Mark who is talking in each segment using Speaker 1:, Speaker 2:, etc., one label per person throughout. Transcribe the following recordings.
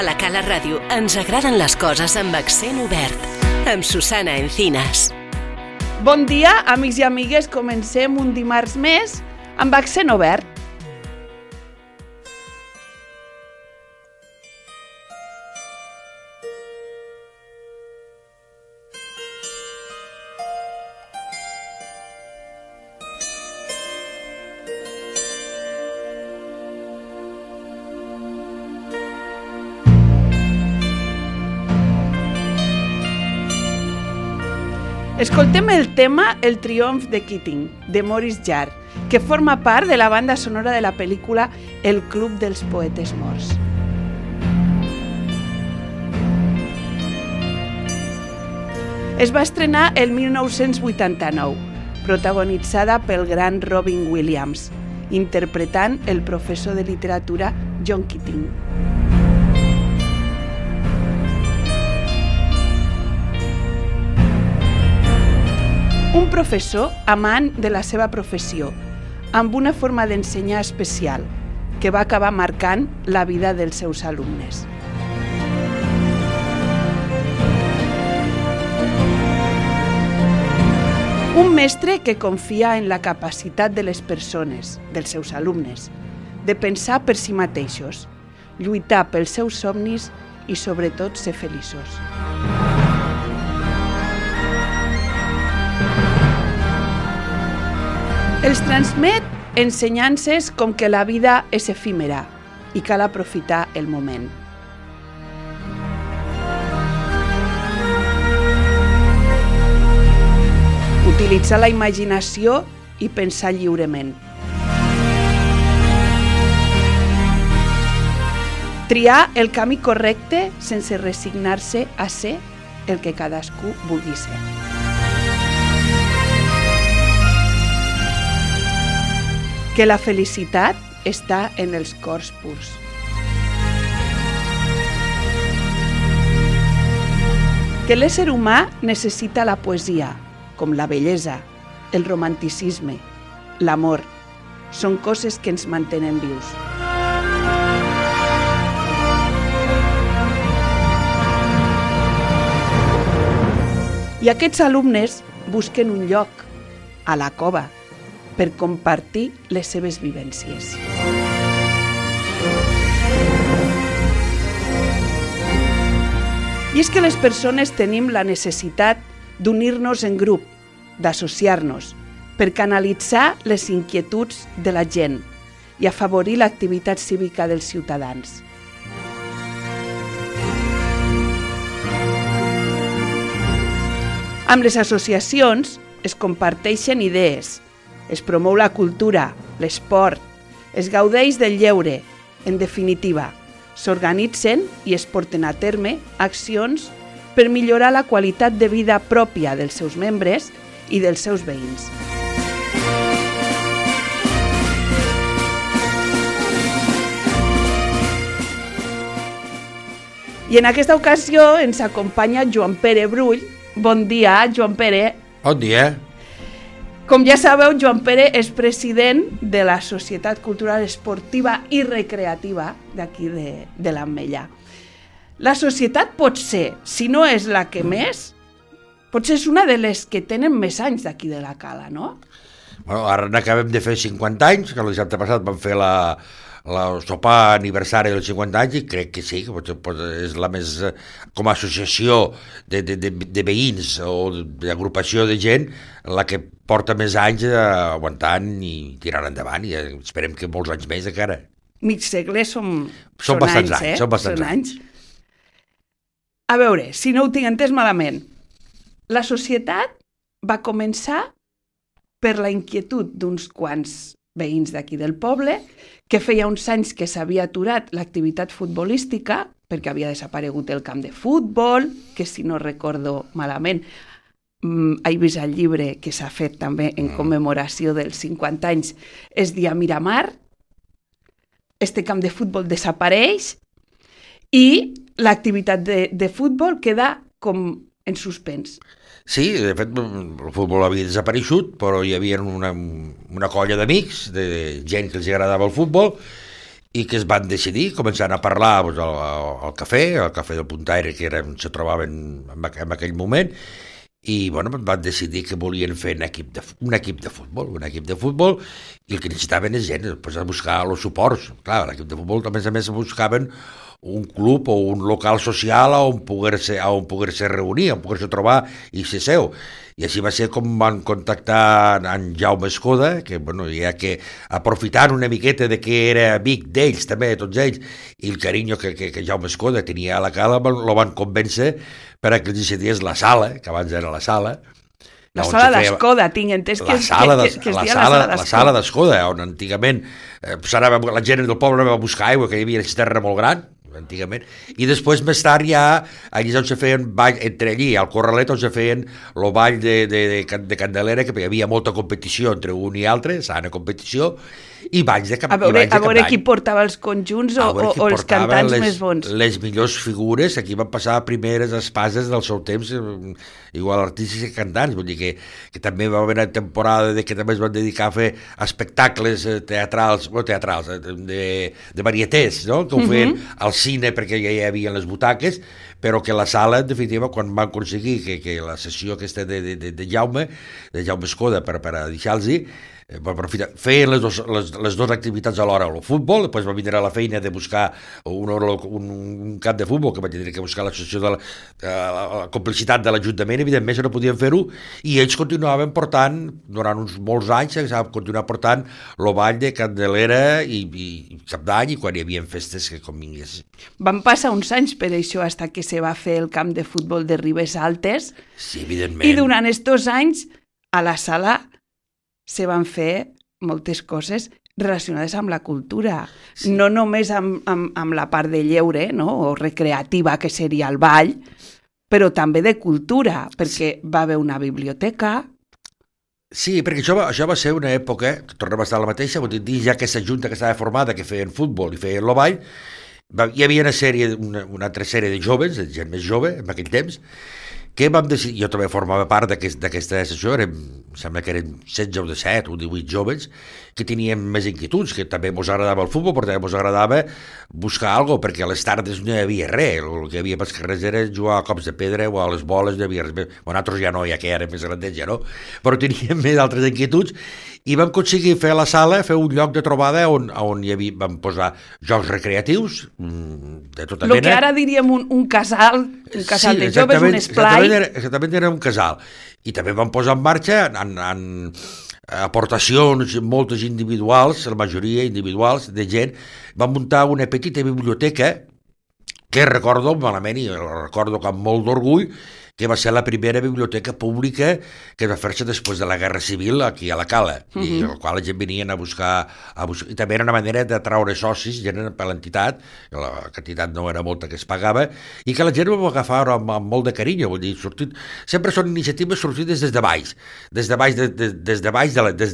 Speaker 1: A la Cala Ràdio ens agraden les coses amb accent obert. Amb Susana Encinas.
Speaker 2: Bon dia, amics i amigues. Comencem un dimarts més amb accent obert. Escoltem el tema El triomf de Keating, de Maurice Jarre, que forma part de la banda sonora de la pel·lícula El club dels poetes morts. Es va estrenar el 1989, protagonitzada pel gran Robin Williams, interpretant el professor de literatura John Keating. Un professor amant de la seva professió, amb una forma d'ensenyar especial, que va acabar marcant la vida dels seus alumnes. Un mestre que confia en la capacitat de les persones, dels seus alumnes, de pensar per si mateixos, lluitar pels seus somnis i sobretot ser feliços. Els transmet ensenyances com que la vida és efímera i cal aprofitar el moment. Utilitzar la imaginació i pensar lliurement. Triar el camí correcte sense resignar-se a ser el que cadascú vulgui ser. Que la felicitat està en els cors purs. Que l'ésser humà necessita la poesia, com la bellesa, el romanticisme, l'amor. Són coses que ens mantenen vius. I aquests alumnes busquen un lloc, a la cova, per compartir les seves vivències. I és que les persones tenim la necessitat d'unir-nos en grup, d'associar-nos, per canalitzar les inquietuds de la gent i afavorir l'activitat cívica dels ciutadans. Amb les associacions es comparteixen idees, es promou la cultura, l'esport, es gaudeix del lleure, en definitiva, s'organitzen i es porten a terme accions per millorar la qualitat de vida pròpia dels seus membres i dels seus veïns. I en aquesta ocasió ens acompanya Joan Pere Brull. Bon dia, Joan Pere.
Speaker 3: Bon dia.
Speaker 2: Com ja sabeu, Joan Pere és president de la Societat Cultural Esportiva i Recreativa d'aquí de l'Ametlla. La societat pot ser, si no és la que més, potser és una de les que tenen més anys d'aquí de la Cala, no?
Speaker 3: Bueno, ara n'acabem de fer 50 anys, que l'any passat vam fer el sopar aniversari dels 50 anys i crec que sí, que és la més, com a associació de veïns o d'agrupació de gent, la que porta més anys aguantant i tirant endavant i esperem que molts anys més encara.
Speaker 2: Mig segle són
Speaker 3: bastants
Speaker 2: anys,
Speaker 3: Són bastants anys.
Speaker 2: A veure, si no ho tinc entès malament, la societat va començar per la inquietud d'uns quants veïns d'aquí del poble, que feia uns anys que s'havia aturat l'activitat futbolística, perquè havia desaparegut el camp de futbol, que si no recordo malament, he vist el llibre que s'ha fet també en commemoració dels 50 anys, es dia Miramar, este camp de futbol desapareix i l'activitat de futbol queda com en suspens.
Speaker 3: Sí, de fet, el futbol havia desapareixut, però hi havia una colla d'amics, de gent que els agradava el futbol, i que es van decidir, començant a parlar doncs, al cafè del Puntaire, que era on se trobaven en aquell moment, i bueno, van decidir que volien fer un equip de futbol, i el que necessitaven és gent, després a buscar els suports. Clar, l'equip de futbol, a més buscaven un club o un local social on poder-se reunir, on poder-se trobar i ser seu. I així va ser com van contactar en Jaume Escoda, que, bueno, ja que aprofitant una miqueta de que era amic d'ells, també, tots ells, i el carinyo que Jaume Escoda tenia a la cala, lo van convèncer per a que els cedies la sala, que abans era la sala.
Speaker 2: La sala d'Escoda, tinc entès que es deia
Speaker 3: la sala d'Escoda, on antigament la gent del poble anava a buscar aigua, que hi havia una cisterna molt gran, antigament, i després més tard ja allí on se feien ball, entre allí al Corralet on se feien el ball de Candelera, que hi havia molta competició entre un i altre, sana competició, i balls de cap d'any.
Speaker 2: A veure qui portava els conjunts o els cantants més bons.
Speaker 3: Les millors figures, aquí van passar primeres espases del seu temps, igual artistes i cantants, vull dir que també va haver una temporada que també es van dedicar a fer espectacles teatrals de varietés, no? Que ho feien al cine perquè ja hi havia les butaques, però que la sala, en definitiva, quan van aconseguir que la sessió aquesta de Jaume Escoda per a deixar-los feien les dues activitats alhora, el futbol, després va vindre a la feina de buscar un camp de futbol, que va tenir que buscar l'associació de la complicitat de l'Ajuntament, evidentment no podien fer-ho, i ells continuaven portant, durant uns molts anys, continuaven portant el ball de Candelera i cap d'any, i quan hi havia festes que com vingués.
Speaker 2: Van passar uns anys per això, fins que se va fer el camp de futbol de Ribes Altes,
Speaker 3: sí, evidentment.
Speaker 2: I durant estos anys, a la sala se van fer moltes coses relacionades amb la cultura, sí. No només amb la part de lleure, no? O recreativa, que seria el ball, però també de cultura, perquè va haver una biblioteca.
Speaker 3: Sí, perquè això va ser una època, tornem a estar a la mateixa, vull dir, ja aquesta junta que estava formada, que feien futbol i feien el ball, hi havia una altra sèrie de joves, de gent més jove, en aquell temps, que vam decidir, jo també formava part d'aquesta sessió, em sembla que eren 16 o 17 o 18 joves que teníem més inquietuds, que també ens agradava el futbol, però també ens agradava buscar alguna cosa, perquè a les tardes no hi havia res, el que hi havia pels carrers era jugar a cops de pedra o a les boles, no hi havia res més. Nosaltres ja no, ja que érem més grandets, ja no, però teníem més altres inquietuds, i vam aconseguir fer a la sala, fer un lloc de trobada on vam posar jocs recreatius de tota mena.
Speaker 2: El que ara diríem un casal de joves, un esplai.
Speaker 3: Exactament, era un casal. I també vam posar en marxa en aportacions moltes individuals, la majoria individuals de gent, vam muntar una petita biblioteca que recordo malament i recordo amb molt d'orgull, que va ser la primera biblioteca pública que va fer-se després de la Guerra Civil aquí a la Cala, i al qual la gent venien a buscar, i també era una manera de traure socis, gent per l'entitat, la quantitat no era molta que es pagava, i que la gent ho va agafar amb molt de carinyo, vull dir, sempre són iniciatives sortides des de baix, des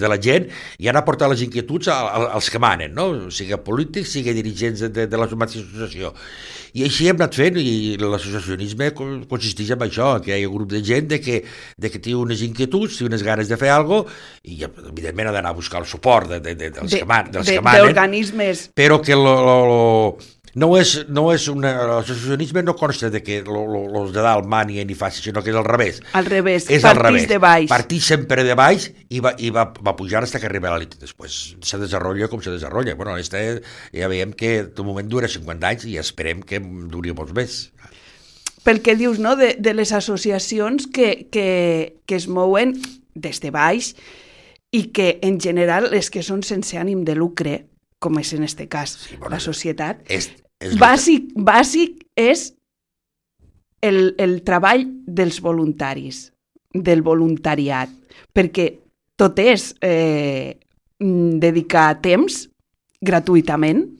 Speaker 3: de la gent, i han aportat les inquietuds als que manen, no? Sigui polítics, sigui dirigents de la mateixa associació. I així hem anat fent, i l'associacionisme consisteix en això, que hi ha un grup de gent que té unes inquietuds, té unes ganes de fer alguna cosa, i evidentment ha d'anar a buscar el suport dels que manen,
Speaker 2: d'organismes.
Speaker 3: Però que l'associacionisme no consta de que els de dalt manien i facin, sinó que és al revés.
Speaker 2: Al revés, partís de baix.
Speaker 3: Partís sempre de baix i va pujar fins que arriba a l'elit. Després se desenvolupa com se desenvolupa. Bueno, ja veiem que de moment dura 50 anys i esperem que duri molts més.
Speaker 2: Pel que dius, no?, de les associacions que es mouen des de baix i que, en general, les que són sense ànim de lucre, com és en aquest cas, sí, bueno, la societat, bàsic és el treball dels voluntaris, del voluntariat, perquè tot és dedicar temps gratuïtament,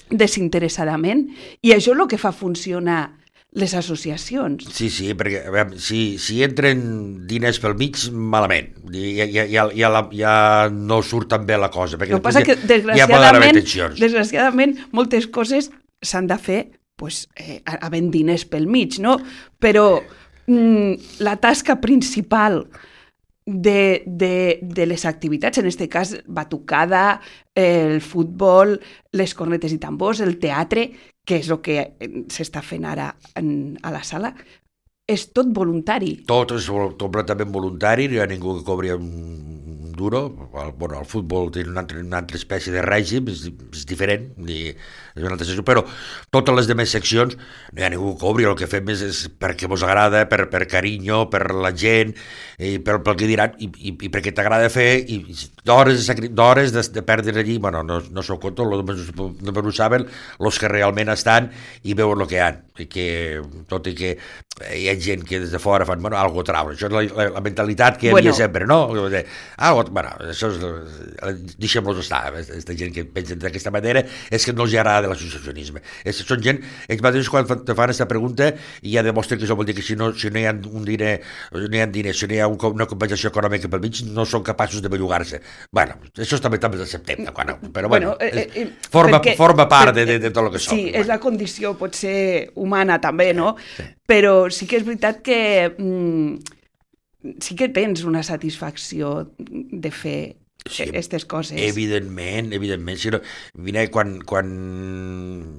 Speaker 2: desinteressadament, i això és el que fa funcionar les associacions.
Speaker 3: Sí, perquè a veure, si entren diners pel mig, malament. Ja no surt tan bé la cosa.
Speaker 2: El que passa que, desgraciadament, moltes coses s'han de fer havent diners pel mig, no? Però la tasca principal de les activitats, en aquest cas batucada, el futbol, les cornetes i tambors, el teatre, que és el que s'està fent ara a la sala, és tot voluntari.
Speaker 3: Tot és completament voluntari, no hi ha ningú que cobri un duro. Bueno, el futbol té una altra espècie de règim, és diferent, és una altra secció, però totes les demés seccions no hi ha ningú que cobri, el que fem és perquè vos agrada, per carinyo, per la gent, i pel que diran, i perquè t'agrada fer, i d'hores de perdre allí, bueno, no s'ho conto, només ho saben els que realment estan i veuen el que hi ha, i que, tot i que hi ha gent que des de fora fan, bueno, algo traure, això és la mentalitat que hi havia sempre, no? Bueno, això és, deixem-los estar, aquesta gent que pensen d'aquesta manera és que no els agrada l'associacionisme. Són gent, ells mateixos quan te fan aquesta pregunta ja demostren que això vol dir que si no hi ha un diner, si no hi ha una compensació econòmica pel mig, no són capaços de bellugar-se. Bueno, això també acceptem, però bueno, forma part de tot el que som.
Speaker 2: Sí, és la condició, pot ser humana també, no? Però sí que és veritat que sí que tens una satisfacció de fer aquestes coses.
Speaker 3: Evidentment. Si no, quan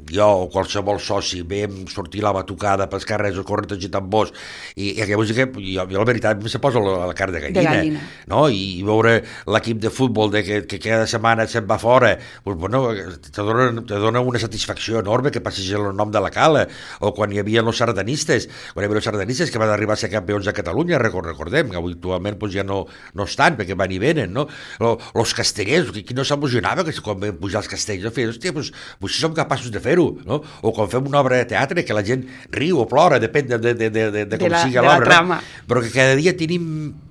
Speaker 3: jo o qualsevol soci veiem sortir la batucada pels carrers o corretes i tambors, i llavors jo la veritat se posa la carn de gallina. No? I veure l'equip de futbol que cada setmana se'n va fora, pues, bueno, te dona una satisfacció enorme que passis el nom de la cala, o quan hi havia els sardanistes, que van arribar a ser campions de Catalunya, recordem, que actualment pues, ja no estan, perquè van i venen, no? Els castellers, qui no s'emocionava que quan vam pujar els castells, hòstia, doncs som capaços de fer-ho, no? O quan fem una obra de teatre que la gent riu o plora, depèn de com sigui l'obra, no? Però que cada dia tenim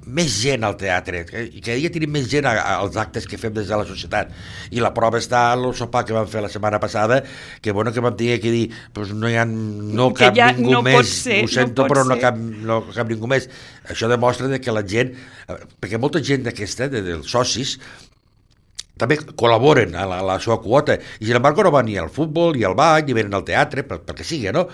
Speaker 3: més gent al teatre, i cada dia tenim més gent als actes que fem des de la societat, i la prova està al sopar que vam fer la setmana passada, que bueno, que vam tenir que dir, doncs no cap ningú més, ho sento, però no cap ningú més. Això demostra que la gent, perquè molta gent d'aquesta, dels socis, també col·laboren a la seva quota, i sin embargo no van ni al futbol, ni al ball, ni venen al teatre, perquè sigui, no?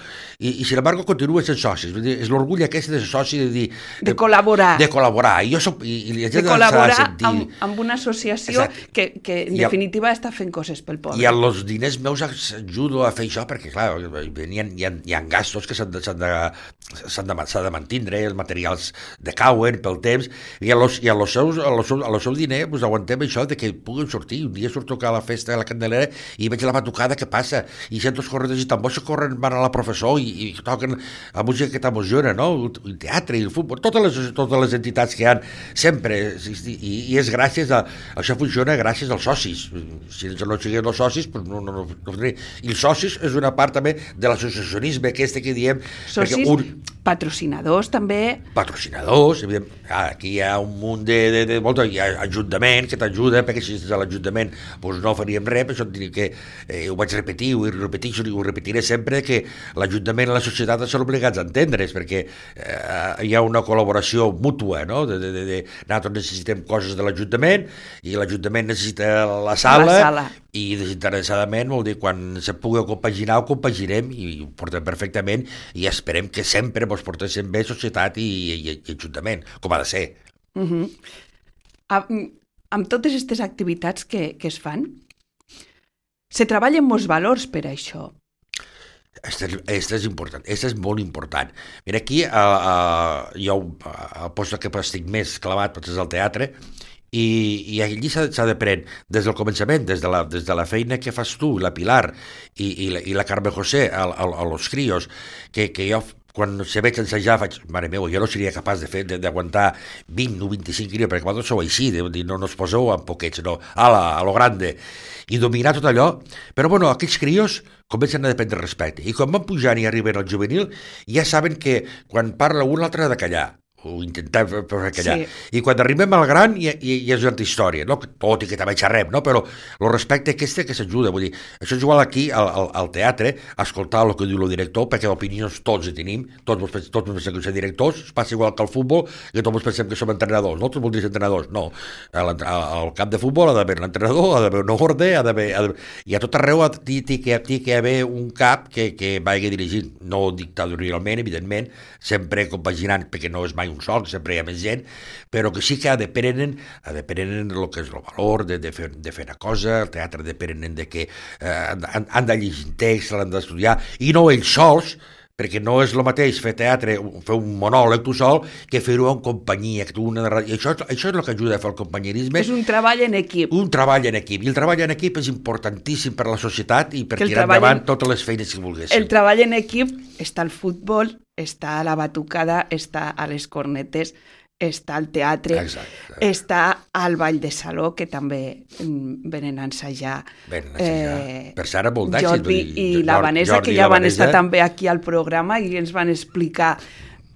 Speaker 3: I sin embargo continuen sent socis. És l'orgull aquest de ser soci, de dir...
Speaker 2: De col·laborar.
Speaker 3: De col·laborar. I la gent
Speaker 2: de col·laborar amb una associació que en definitiva està fent coses pel poble.
Speaker 3: I amb els diners meus ajudo a fer això, perquè clar, hi ha gastos que s'han de mantindre, els materials decauen pel temps, i al seu diner aguantem això de que puguin sortir. Un dia surto a la festa de la Candelera i veig la batucada que passa, i sento els corredors i tambors que van a la professor i toquen la música que t'emociona, no? El teatre i el futbol, totes les entitats que hi ha sempre, i és gràcies a això, funciona gràcies als socis. Si no siguin els socis, no. I els socis és una part també de l'associacionisme aquest que diem.
Speaker 2: Socis, patrocinadors també.
Speaker 3: Patrocinadors, evident. Aquí hi ha un munt hi ha ajuntament que t'ajuda, perquè si és a l'Ajuntament doncs no faríem res, per això et diré que ho vaig repetir, ho repetiré sempre, que l'Ajuntament i la societat són obligats a entendre's, perquè hi ha una col·laboració mútua, no? Nosaltres necessitem coses de l'Ajuntament i l'Ajuntament necessita la sala. I desinteressadament vol dir quan se pugui compaginar, ho compagirem i ho portem perfectament, i esperem que sempre ens portéssim bé societat i Ajuntament, com ha de ser.
Speaker 2: Amb totes aquestes activitats que es fan, se treballen molts valors per això.
Speaker 3: Aquesta és important, aquesta és molt important. Mira, aquí jo el post que estic més clavat és el teatre, i allí s'ha d'aprendre des del començament, des de la feina que fas tu, la Pilar i la Carme José a los críos, que jo quan se veig ensejar faig, mare meva, jo no seria capaç d'aguantar 20 o 25 quilos, perquè vosaltres sou així, no us poseu en poquets, no, a lo grande, i dominar tot allò. Però bueno, aquells crios comencen a dependre respecte, i quan van pujant i arriben al juvenil, ja saben que quan parla un l'altre ha de callar, o intentar fer callar. Sí. I quan arribem al gran ja és una altra història, no? Tot i que també xerrem, no? Però el respecte aquest que s'ajuda, vull dir, això és igual aquí al teatre, escoltar el que diu el director, perquè opinions tots hi tenim, tots pensem que som directors, passa igual que al futbol, que tots pensem que som entrenadors, nosaltres voldríem ser entrenadors, no. Al camp de futbol ha d'haver un entrenador, ha d'haver un orde, i a tot arreu té que haver un cap que vagi dirigint, no dictatorialment, evidentment, sempre compaginant, perquè no és mai mai un sol, sempre hi ha més gent, però que sí que deprenen el que és el valor de fer una cosa, el teatre deprenen de que han de llegir text, l'han d'estudiar, i no ells sols, perquè no és el mateix fer teatre, fer un monòleg tu sol, que fer-ho en companyia. I això és el que ajuda a fer el companyerisme.
Speaker 2: És un treball en equip.
Speaker 3: Un treball en equip. I el treball en equip és importantíssim per a la societat i per tirar endavant totes les feines que volguéssim.
Speaker 2: El treball en equip està al futbol, està a la batucada, està a les cornetes, està al teatre,
Speaker 3: exacte.
Speaker 2: Està al ball de saló, que també venen a ensajar.
Speaker 3: Per Sara molt d'èxit.
Speaker 2: Jordi i la Vanessa, que ja van estar també aquí al programa i ens van explicar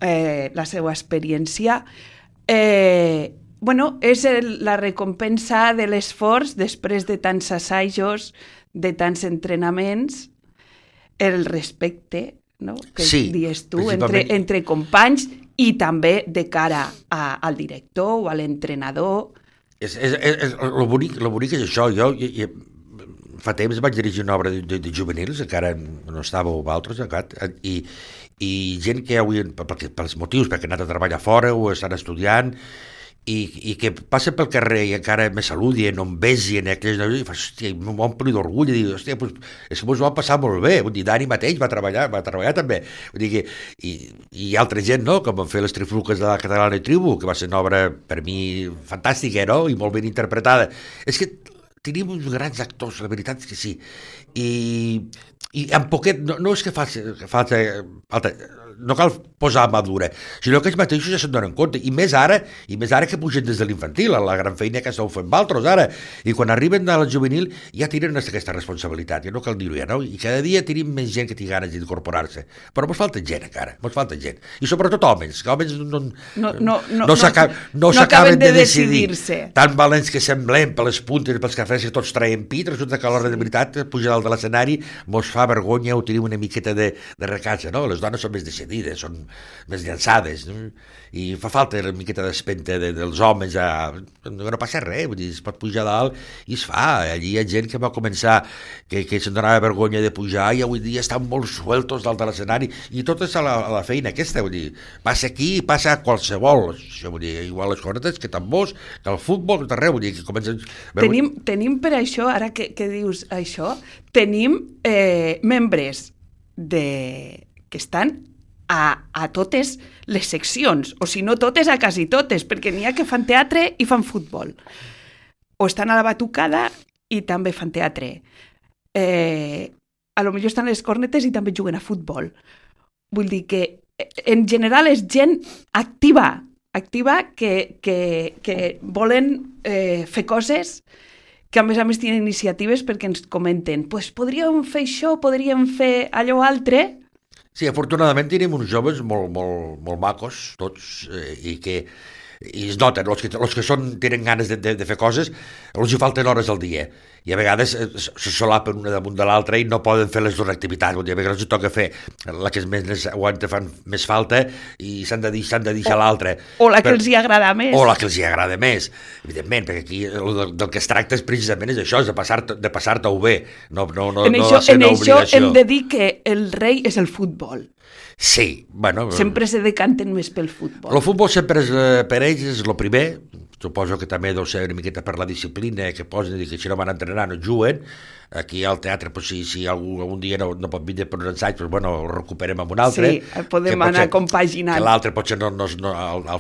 Speaker 2: la seva experiència. És la recompensa de l'esforç després de tants assajos, de tants entrenaments, el respecte, no? Que dius tu, entre companys, i també de cara al director o a l'entrenador.
Speaker 3: Lo bonic és això. Jo fa temps vaig dirigir una obra de juvenils, encara no estàveu vosaltres, i gent que avui, pels motius, perquè han anat a treballar fora o estan estudiant, i que passa pel carrer i encara me saludien, no em besien, i hòstia, m'ompli d'orgull, i dic, hòstia, és que mos ho va passar molt bé. Vull dir, Dani mateix va treballar també. Vull dir que, i altra gent, no?, com van fer les trifluques de la Catalana i Tribu, que va ser una obra, per mi, fantàstica, no?, i molt ben interpretada. És que tenim uns grans actors, la veritat és que sí. I en poquet, no és que falta no cal posar mà dura, sinó que ells mateixos ja se'n donen compte, i més ara que pugen des de l'infantil, la gran feina que esteu fent vosaltres ara, i quan arriben a la juvenil ja tenen aquesta responsabilitat, ja no cal dir-ho ja, no? I cada dia tenim més gent que té ganes d'incorporar-se, però mos falta gent encara, i sobretot homes, que homes no s'acaben de decidir-se. Tan valents que semblem per les puntes, pels cafès que tots traiem pit, resulta que a l'hora de veritat pujar dalt de l'escenari mos fa vergonya o tenim una miqueta de recatxa, no? Les dones són més decidides, són més llançades, no? I fa falta una miqueta d'espenta dels homes, no passa res, vull dir, es pot pujar dalt i es fa. Allí hi ha gent que va començar que se'n donava vergonya de pujar i avui dia estan molt sueltos dalt de l'escenari, i tot és a la feina aquesta, vull dir, passa aquí i passa a qualsevol, això vull dir, igual les cornetes que tambors, que el futbol, que tot arreu, vull dir, que comencen...
Speaker 2: Tenim per això, ara que dius això, tenim membres que estan a totes les seccions, o si no totes, a quasi totes, perquè n'hi ha que fan teatre i fan futbol, o estan a la batucada i també fan teatre, a lo millor estan a les cornetes i també juguen a futbol. Vull dir que en general és gent activa que volen fer coses, que a més tenen iniciatives perquè ens comenten, pues podríem fer això, podríem fer allò altre.
Speaker 3: Sí, afortunadament tenim uns joves molt macos, tots, i es noten, els que tenen ganes de fer coses, els hi falten hores al dia, i a vegades se solapen una damunt de l'altra i no poden fer les dues activitats, a vegades els toca fer la que més aguanta, fan més falta, i s'han de deixar l'altra.
Speaker 2: O la que els hi agrada més.
Speaker 3: O la que els hi agrada més, evidentment, perquè aquí del que es tracta és precisament això, és de passar-t'ho bé, no de ser una obligació.
Speaker 2: En això hem de dir que el rei és el futbol.
Speaker 3: Sí, bueno...
Speaker 2: Sempre se decanten més pel futbol.
Speaker 3: El futbol sempre per ells és el primer, suposo que també deu ser una miqueta per la disciplina que posen, i que si no van entrenar no juguen. Aquí al teatre, pues, si algun dia no pot vindre per un ensaig, pues, bueno, ho recuperem amb un altre.
Speaker 2: Sí, podem anar compaginant.
Speaker 3: Que l'altre potser el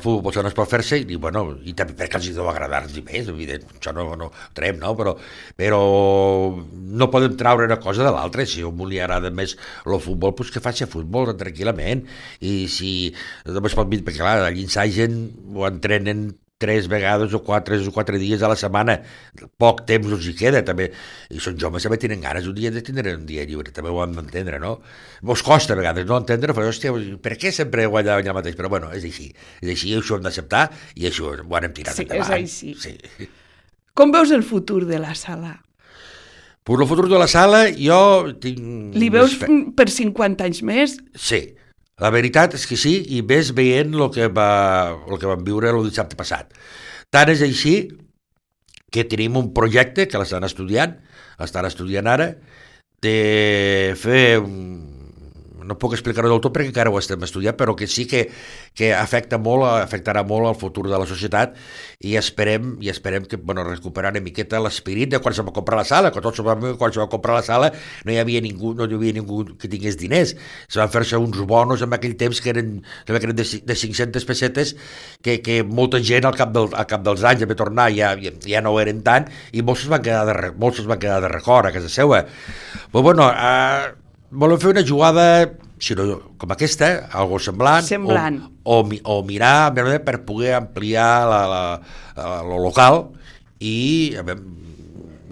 Speaker 3: futbol potser no es pot fer-se, i bueno, i també perquè els deu agradar-los més, evident, això no ho traiem, no? Però no podem traure una cosa de l'altra. Si a un li agrada més el futbol, pues que faci futbol tranquil·lament, i si només pot vindre, perquè clar, allà ensagen o entrenen 3 vegades o 4 dies a la setmana, poc temps els hi queda també, i són joves també tenen ganes un dia de tindre un dia lliure, també ho hem d'entendre, no? Mos costa a vegades no entendre, però hòstia, per què sempre guanya allà mateix? Però bueno, és així, això ho hem d'acceptar i això ho anem tirant endavant.
Speaker 2: Sí, és així. Sí. Com veus el futur de la sala?
Speaker 3: Per el futur de la sala jo tinc...
Speaker 2: Li veus per 50 anys més?
Speaker 3: Sí. La veritat és que sí, i ves veient el que vam viure el dissabte passat. Tant és així que tenim un projecte que l'estan estudiant ara, de fer no puc explicar-ho del tot perquè encara ho estem estudiant, però que sí que afectarà molt el futur de la societat i esperem que recuperar una miqueta l'esperit de quan se va comprar la sala, que tots sabem que quan se va comprar la sala no hi havia ningú que tingués diners, se van fer-se uns bonos en aquell temps que eren de 500 pessetes que molta gent al cap dels anys va tornar, ja no ho eren tant i molts es van quedar de record a casa seva. Però volem fer una jugada com aquesta, algo semblant. O mirar per poder ampliar el local i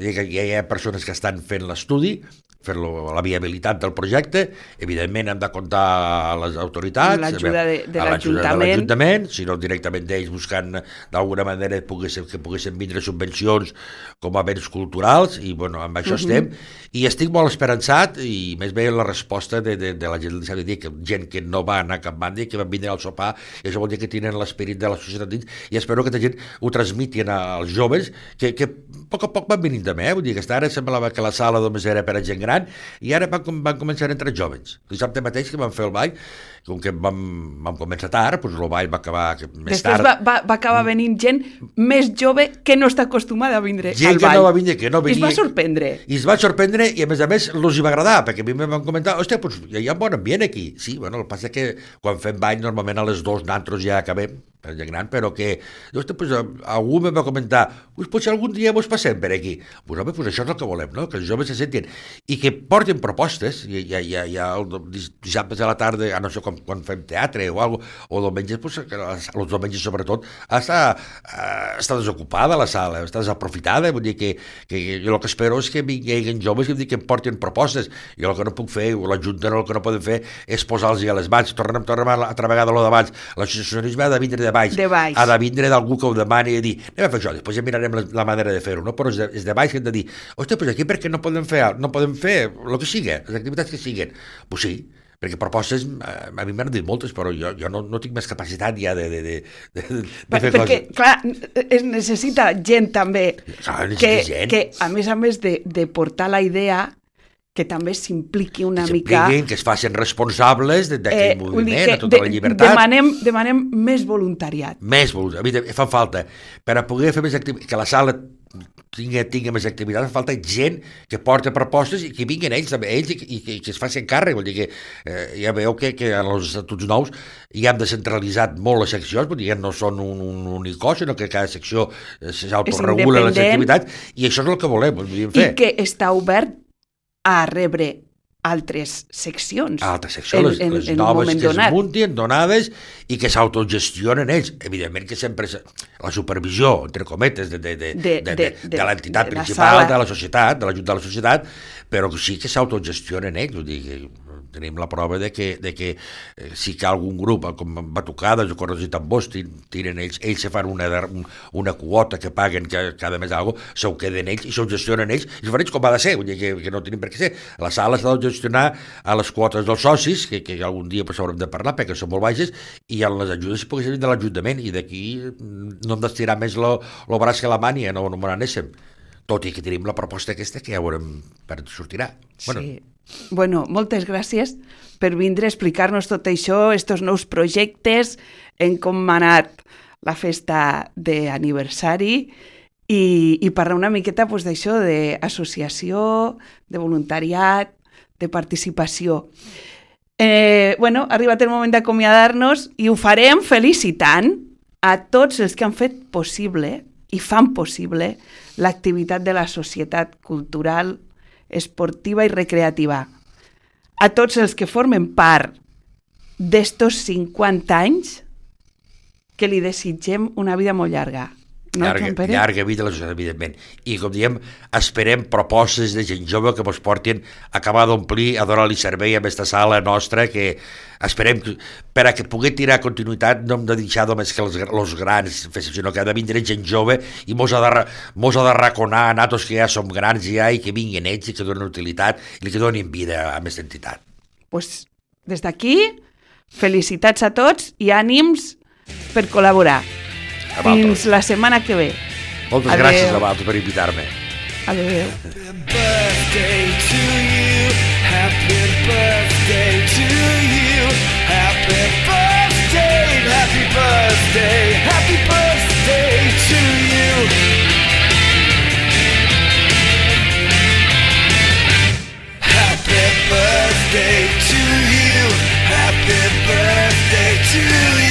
Speaker 3: ja hi ha persones que estan fent l'estudi, fer la viabilitat del projecte, evidentment hem de comptar a les autoritats,
Speaker 2: amb l'ajuda de l'Ajuntament,
Speaker 3: si no directament d'ells buscant d'alguna manera que poguessin vindre subvencions com a béns culturals, i amb això estem, i estic molt esperançat, i més bé la resposta de la gent de dir que gent que no va anar a cap banda i que van vindre al sopar, i això vol dir que tenen l'esperit de la societat dins, i espero que la gent ho transmitin als joves, que a poc van venint també, vull dir que ara semblava que la sala només era per a gent gran, i ara van començar a entrar jovens. Dissabte mateix que vam fer el ball, com que vam començar tard, doncs el ball va acabar més tard.
Speaker 2: Després va acabar venint gent més jove que no està acostumada a vindre al ball.
Speaker 3: Gent que no va vindre, que no venia.
Speaker 2: I es va sorprendre.
Speaker 3: I es va sorprendre, i a més els hi va agradar, perquè a mi em van comentar, hòstia, hi ha un bon ambient aquí. Sí, el que passa que quan fem ball normalment a les 2 nantros ja acabem, per gent gran, però que algú em va comentar, potser algun dia vos passem per aquí. Doncs això és el que volem, no? Que els joves se sentin i que portin propostes. Dissabte a la tarda, no sé, quan fem teatre o alguna cosa, o diumenges, els diumenges sobretot, està desocupada la sala, està desaprofitada, vull dir que jo el que espero és que vinguin joves que em portin propostes. Jo el que no puc fer, o l'Ajuntament el que no podem fer és posar-los a les mans. Tornem altra vegada a lo d'abans. L'associacionisme ha de vindre de baix. Ha de vindre d'algú que ho demani i dir, anem a fer això, després ja mirarem la manera de fer-ho, no? Però és de baix que hem de dir, hòstia, aquí per què no podem fer el que sigui, les activitats que siguin? Doncs sí, perquè propostes, a mi m'han dit moltes, però jo no tinc més capacitat ja de fer coses.
Speaker 2: Perquè, clar, es necessita gent també, que a més de portar la idea, que també s'impliqui una mica...
Speaker 3: Que es facin responsables d'aquell moviment, de tota la llibertat.
Speaker 2: Demanem més voluntariat.
Speaker 3: Més voluntariat. A mi fa falta, per a poder fer més activitats, que la sala tingui més activitats, fa falta gent que porta propostes i que vinguin ells i que es facin càrrec. Vol dir que ja veieu que en els estatuts nous ja hem descentralitzat molt les seccions, vull dir que no són un únic cos, sinó que cada secció s'autoregula les activitats, i això és el que volem fer.
Speaker 2: I que està obert a rebre altres seccions.
Speaker 3: Les noves que es muntin, donades, i que s'autogestionen ells. Evidentment que sempre la supervisió, entre cometes, de l'entitat principal, de la societat, de l'Ajuntament de la societat, però sí que s'autogestionen ells. Vull dir que tenim la prova de que sí que algun grup, com batucades o coses i tambors, tiren ells se fan una quota que paguen cada mes alguna cosa, s'ho queden ells i s'ho gestionen ells, i s'ho fan ells com ha de ser, vull dir que no tenim per què ser. La sala s'ha de gestionar a les quotes dels socis, que algun dia haurem de parlar perquè són molt baixes, i en les ajudes si poguessin venir de l'Ajuntament, i d'aquí no hem d'estirar més el braç que la mània, no n'anéssim. Tot i que tenim la proposta aquesta que ja veurem per sortirà.
Speaker 2: Sí. Bueno, moltes gràcies per vindre a explicar-nos tot això, estos nous projectes, en com ha anat la festa d'aniversari i parlar una miqueta d'això, d'associació, de voluntariat, de participació. Ha arribat el moment d'acomiadar-nos i ho farem felicitant a tots els que han fet possible i fan possible l'activitat de la societat cultural, esportiva i recreativa. A tots els que formen part d'estos 50 anys, que li desitgem una vida molt llarga. No,
Speaker 3: llarga vida a la societat, evidentment. I, com diem, esperem propostes de gent jove que ens portin a acabar d'omplir, a donar-li servei a aquesta sala nostra, que esperem que, per a que pugui tirar continuïtat, no hem de deixar només que els grans, sinó que ha de vindre gent jove i mos ha de raconar a nosaltres que ja som grans ja i que vinguin ells i que donen utilitat i que donin vida a aquesta entitat.
Speaker 2: Pues, des d'aquí, felicitats a tots i ànims per col·laborar. Fins la setmana que ve.
Speaker 3: Moltes gràcies a vosaltres per invitar-me.
Speaker 2: Adéu.
Speaker 4: Happy birthday to you. see